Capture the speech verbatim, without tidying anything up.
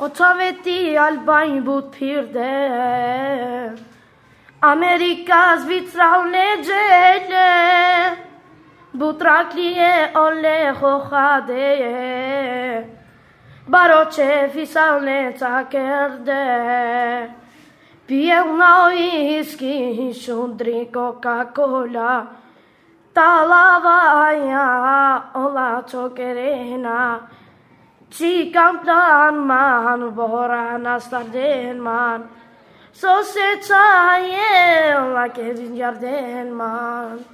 Oțaveti albani but pirde America Zvitra unegele Butraklie ole hochade Baroche fisaune takerde Pie una whisky shundri Coca-Cola Talavaya ola chokerena Chikam plan man borana starden man So se chaye la ke jarden man